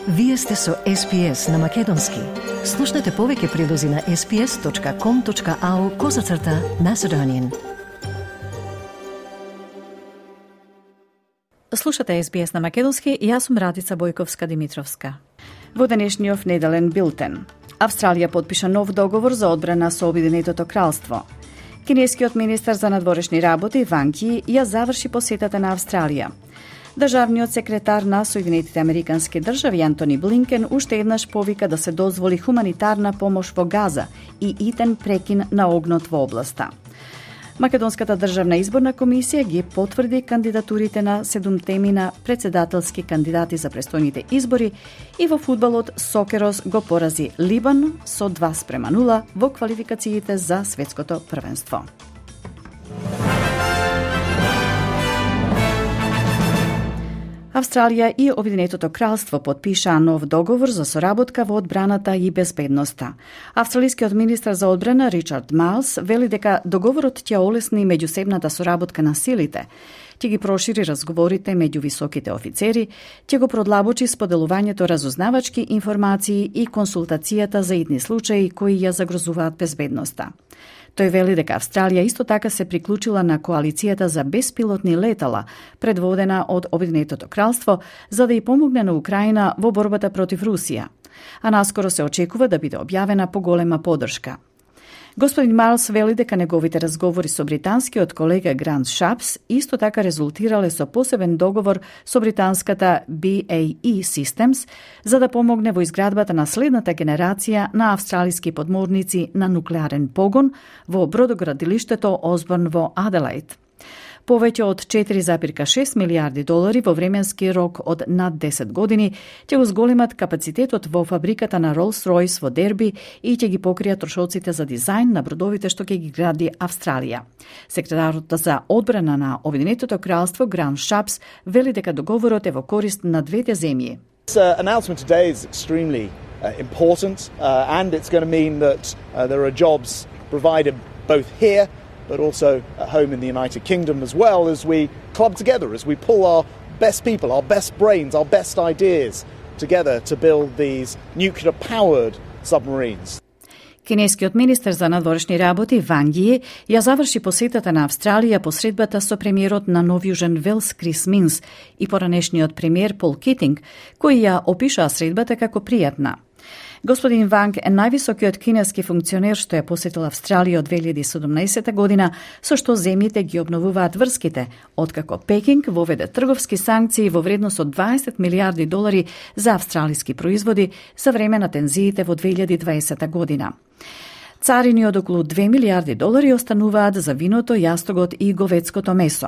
Вие сте со SPS на Македонски. Слушнете повеќе прилози на sps.com.au/Macedonian. Слушате SBS на Македонски и јас сум Радица Бојковска-Димитровска. Во денешниот неделен билтен. Австралија подпиша нов договор за одбрана со Обединетото кралство. Кинескиот министар за надворешни работи Ванг Ји ја заврши посетата на Австралија. Државниот секретар на Соединетите Американски држави Антони Блинкен уште еднаш повика да се дозволи хуманитарна помош во Газа и итен прекин на огнот во областа. Македонската државна изборна комисија ги потврди кандидатурите на 7 председателски кандидати за престојните избори и во фудбалот Сокерос го порази Либан со 2:0 во квалификациите за светското првенство. Австралија и Обединетото кралство подпишаа нов договор за соработка во одбраната и безбедноста. Австралискиот министар за одбрана Ричард Майлс вели дека договорот ќе олесни меѓусебната соработка на силите, ќе ги прошири разговорите меѓу високите офицери, ќе го продлабочи споделувањето разузнавачки информации и консултацијата за итни случаи кои ја загрозуваат безбедноста. Тој вели дека Австралија исто така се приклучила на коалицијата за беспилотни летала, предводена од Обединетото кралство, за да ја помогне на Украина во борбата против Русија. А наскоро се очекува да биде објавена поголема поддршка. Господин Майлс вели дека неговите разговори со британскиот колега Грант Шапс исто така резултирале со посебен договор со британската BAE Systems за да помогне во изградбата на следната генерација на австралиски подморници на нуклеарен погон во бродоградилиштето Осборн во Аделаид. Повеќе од 4,6 милиарди долари во временски рок од над 10 години ќе го зголемат капацитетот во фабриката на Rolls-Royce во Дерби и ќе ги покријат трошоците за дизајн на бродовите што ќе ги гради Австралија. Секретарот за одбрана на Обединетото кралство Грант Шапс вели дека договорот е во корист на двете земји. This announcement today is extremely important and it's going to mean that there are jobs provided both here but also at home in the United Kingdom as well as we club together, as we pull our best people, our best brains, our best ideas together to build these nuclear-powered submarines. Кинескиот министер за надворешни работи Ванг Ји ја заврши посетата на Австралија по средбата со премиерот на Нов Јужен Велс Крис Минс и поранешниот премиер Пол Китинг, кои ја опишаа средбата како пријатна. Господин Ванг е највисокиот кинески функционер што ја посетил Австралија од 2017 година, со што земјите ги обновуваат врските, откако Пекинг воведе трговски санкции во вредност од 20 милиарди долари за австралиски производи за време на тензиите во 2020 година. Царини од околу 2 милиарди долари остануваат за виното, јастогот и говедското месо.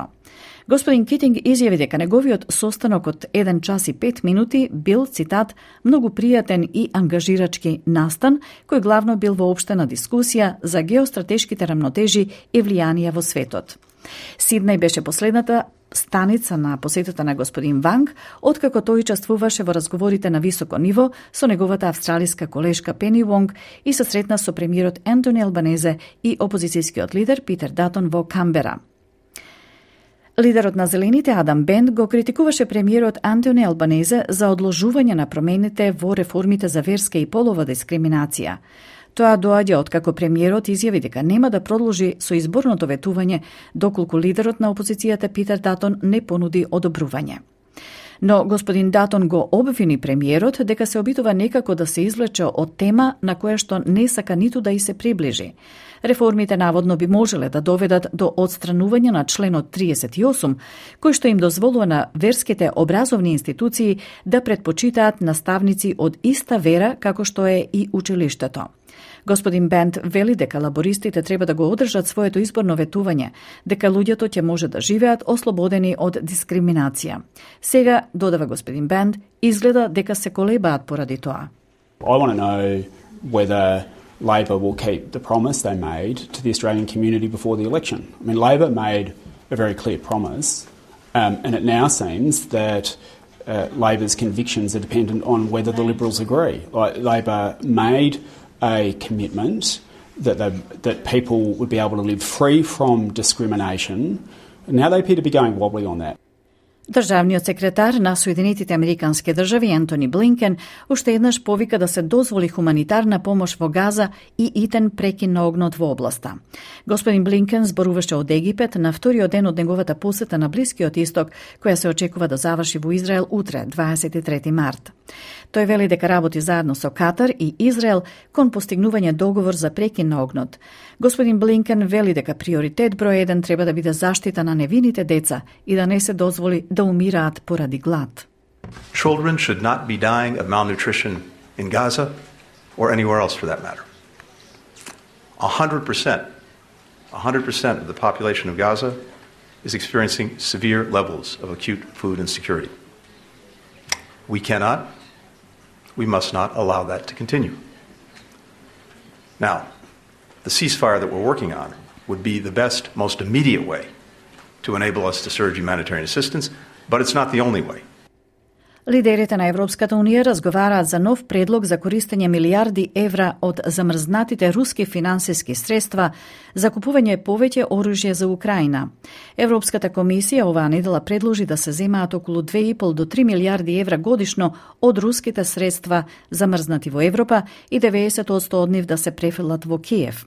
Господин Китинг изјави дека неговиот состанок од 1 час и 5 минути бил, цитат, многу пријатен и ангажирачки настан, кој главно бил воопштена дискусија за геостратешките рамнотежи и влијанија во светот. Сиднеј беше последната станица на посетата на господин Ванг, откако тој учествуваше во разговорите на високо ниво со неговата австралиска колешка Пени Вонг и се сретна со премиерот Ентони Албанезе и опозицијскиот лидер Питер Датон во Камбера. Лидерот на Зелените Адам Бенд го критикуваше премиерот Антони Албанезе за одложување на промените во реформите за верска и полова дискриминација. Тоа доаѓа откако премиерот изјави дека нема да продолжи со изборното ветување доколку лидерот на опозицијата Питер Датон не понуди одобрување. Но господин Датон го обвини премиерот дека се обидува некако да се извлече од тема на која што не сака ниту да и се приближи. Реформите наводно би можеле да доведат до отстранување на членот 38, кој што им дозволува на верските образовни институции да предпочитаат наставници од иста вера како што е и училиштето. Господин Бенд вели дека лабористите треба да го одржат своето изборно ветување, дека луѓето ќе може да живеат ослободени од дискриминација. Сега, додава господин Бенд, изгледа дека се колебаат поради тоа. I want to know whether Labor will keep the promise they made to the Australian community before the election. I mean, Labor made a very clear promise, and it now seems that Labor's convictions are dependent on whether the Liberals agree. Labor made a commitment that people would be able to live free from discrimination. Now they appear to be going wobbly on that. Државниот секретар на Соединетите Американски држави Ентони Блинкен уште еднаш повика да се дозволи хуманитарна помош во Газа и итен прекин на огнот во областа. Господин Блинкен зборуваше од Египет на вториот ден од неговата посета на Блискиот Исток, која се очекува да заврши во Израел утре, 23 март. Тој вели дека работи заедно со Катар и Израел кон постигнување договор за прекин на огнот. Господин Блинкен вели дека приоритет број 1 треба да биде заштита на невините деца и да не се дозволи да умираат поради глад. Children should not be dying of malnutrition in Gaza or anywhere else for that matter. 100% of the population of Gaza is experiencing severe levels of acute food insecurity. We must not allow that to continue. Now, the ceasefire that we're working on would be the best, most immediate way to enable us to surge humanitarian assistance, but it's not the only way. Лидерите на Европската унија разговараат за нов предлог за користење милиарди евра од замрзнатите руски финансиски средства за купување повеќе оружје за Украина. Европската комисија оваа недела предложи да се земаат околу 2,5 до 3 милиарди евра годишно од руските средства замрзнати во Европа и 90% од нив да се префрлат во Киев.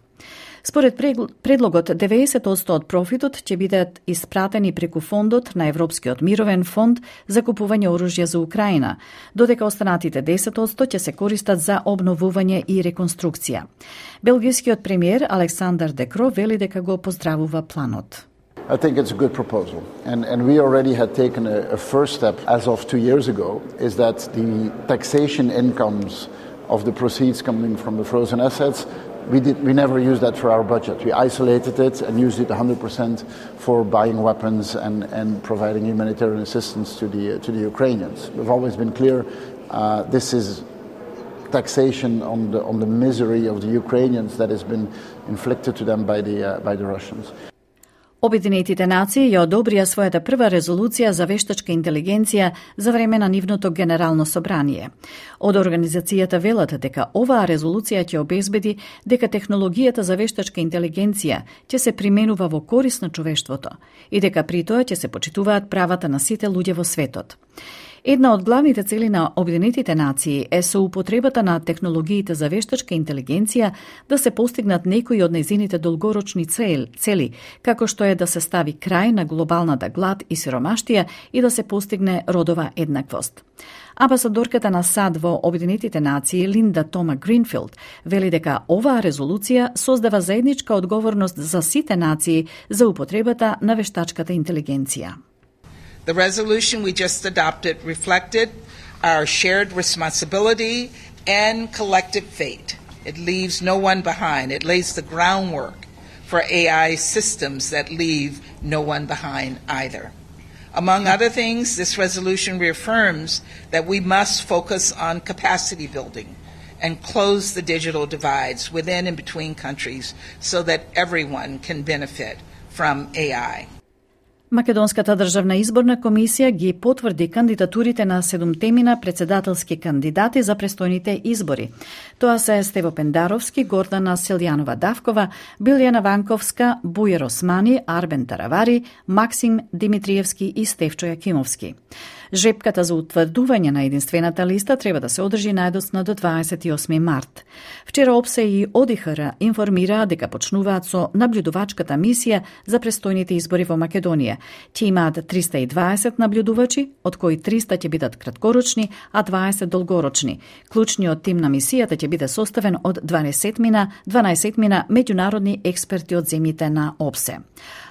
Според предлогот, 90% од профитот ќе бидат испратени преку фондот на Европскиот мировен фонд за купување оружје за Украина, додека останатите 10% ќе се користат за обновување и реконструкција. Белгискиот премиер Александър Де Крoo вели дека го поздравува планот. I think it's a good proposal. And we already had taken a first step as of 2 years ago, is that the taxation incomes of the proceeds coming from the frozen assets, we never used that for our budget. We isolated it and used it 100% for buying weapons and providing humanitarian assistance to the Ukrainians. We've always been clear, this is taxation on the misery of the Ukrainians that has been inflicted to them by the Russians. Обединетите нации ја одобрија својата прва резолуција за вештачка интелигенција за време на нивното генерално собрание. Од организацијата велат дека оваа резолуција ќе обезбеди дека технологијата за вештачка интелигенција ќе се применува во корист на човештвото и дека при тоа ќе се почитуваат правата на сите луѓе во светот. Една од главните цели на Обединетите нации е со употребата на технологиите за вештачка интелигенција да се постигнат некои од нејзините долгорочни цели, како што е да се стави крај на глобалната глад и сиромаштија и да се постигне родова еднаквост. Амбасадорката на САД во Обединетите нации Линда Тома Гринфилд вели дека оваа резолуција создава заедничка одговорност за сите нации за употребата на вештачката интелигенција. The resolution we just adopted reflected our shared responsibility and collective fate. It leaves no one behind. It lays the groundwork for AI systems that leave no one behind either. Among other things, this resolution reaffirms that we must focus on capacity building and close the digital divides within and between countries so that everyone can benefit from AI. Македонската државна изборна комисија ги потврди кандидатурите на 7 председателски кандидати за престојните избори. Тоа се Стево Пендаровски, Гордана Силјанова-Давкова, Билјана Ванковска, Бујер Османи, Арбен Таравари, Максим Димитриевски и Стефчо Јакимовски. Жепката за утврдување на единствената листа треба да се одржи најдоцна до 28 март. Вчера ОПСЕ и ОДИХР информираа дека почнуваат со наблюдувачката мисија за престојните избори во Македонија. Ќе имаат 320 наблюдувачи, од кои 300 ќе бидат краткорочни, а 20 долгорочни. Клучниот тим на мисијата ќе биде составен од 12 меѓународни експерти од земјите на ОПСЕ.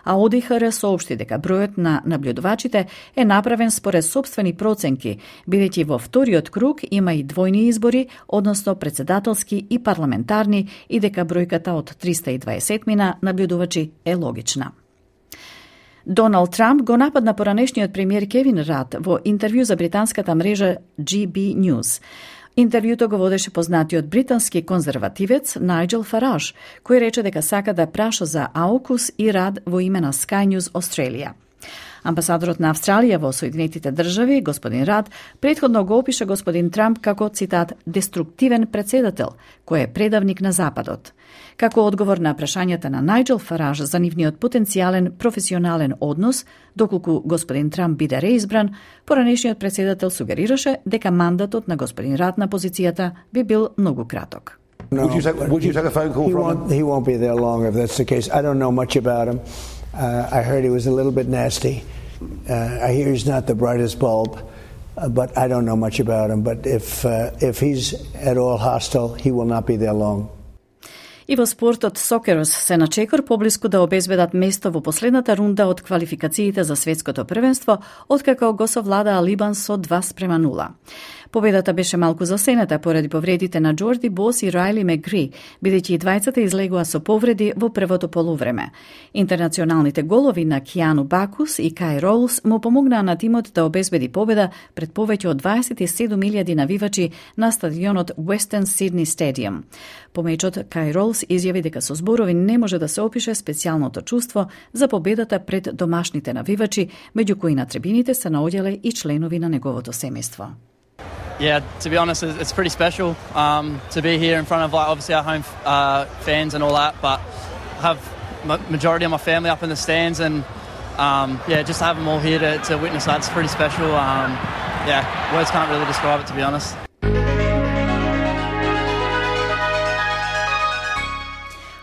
А ОДИХР соопшти дека бројот на наблюдувачите е направен според собствени проценки, бидејќи во вториот круг има и двојни избори, односно председателски и парламентарни, и дека бројката од 320 наблюдувачи е логична. Доналд Трамп го нападна поранешниот премиер Кевин Рад во интервју за британската мрежа GB News. Интервјуто го водеше познатиот британски конзервативец Најджел Фараж, кој рече дека сака да праша за AUKUS и Рад во име на Sky News Australia. Амбасадорот на Австралија во Соединетите држави, господин Рад, претходно го опиша господин Трамп како, цитат, деструктивен председател, кој е предавник на Западот. Како одговор на прашањата на Најджел Фараж за нивниот потенцијален професионален однос, доколку господин Трамп биде реизбран, поранешниот председател сугерираше дека мандатот на господин Рад на позицијата би бил многу краток. No, would you take a phone call from him? He won't be there long if that's the case. I don't know much about him. I heard he was a little bit nasty. I hear he's not the brightest bulb, but I don't know much about him. But if he's at all hostile, he will not be there long. И во спортот Сокерос се на чекор поблиску да обезбедат место во последната рунда од квалификациите за светското првенство, откако го совладаа Либан со 2-0. Победата беше малку засенета поради повредите на Джорди Бос и Райли Мегри, бидејќи и двајцата излегува со повреди во првото полувреме. Интернационалните голови на Киану Бакус и Кај Ролс му помогнаа на тимот да обезбеди победа пред повеќе од 27.000 навивачи на стадионот Western Sydney Stadium. По мечот Кај Ролс изјави дека со зборови не може да се опише специјалното чувство за победата пред домашните навивачи, меѓу кои на трибините се наоѓале и членови на неговото семејство. Yeah, to be honest, it's pretty special to be here in front of, like, obviously our home fans and all that, but have majority of my family up in the stands, and just to have them all here to witness that's pretty special. Words can't really describe it, to be honest.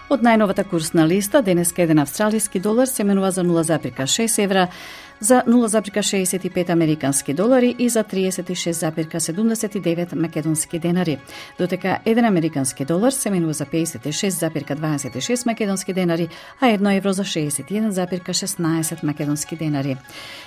Од најновата курсна листа, денеска еден австралиски долар се менува за 0,6 евра, за 0,65 американски долари и за 36,79 македонски денари, додека 1 американски долар се менува за 56,26 македонски денари, а 1 евро за 61,16 македонски денари.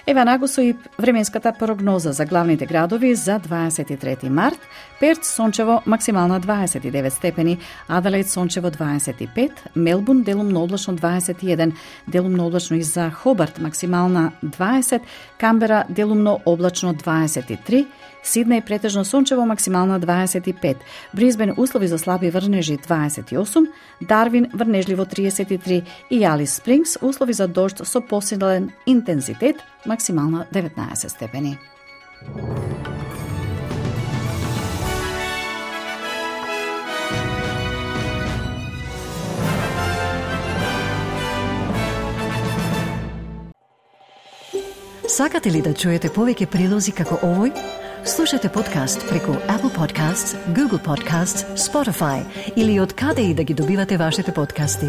Ева нагусо и временската прогноза за главните градови за 23 март. Перт сончево максимална 29 степени, Аделаид сончево 25, Мелбурн делумно облачно 21, делумно облачно и за Хобарт максимална 20, Камбера делумно облачно 23, Сиднеј претежно сончево максимална 25, Брисбен услови за слаби врнежи 28, Дарвин врнежливо 33 и Алис Спрингс услови за дожд со посилен интензитет максимална 19 степени. Сакате ли да чуете повеќе прилози како овој? Слушате подкаст преку Apple Podcasts, Google Podcasts, Spotify или од каде и да ги добивате вашите подкасти.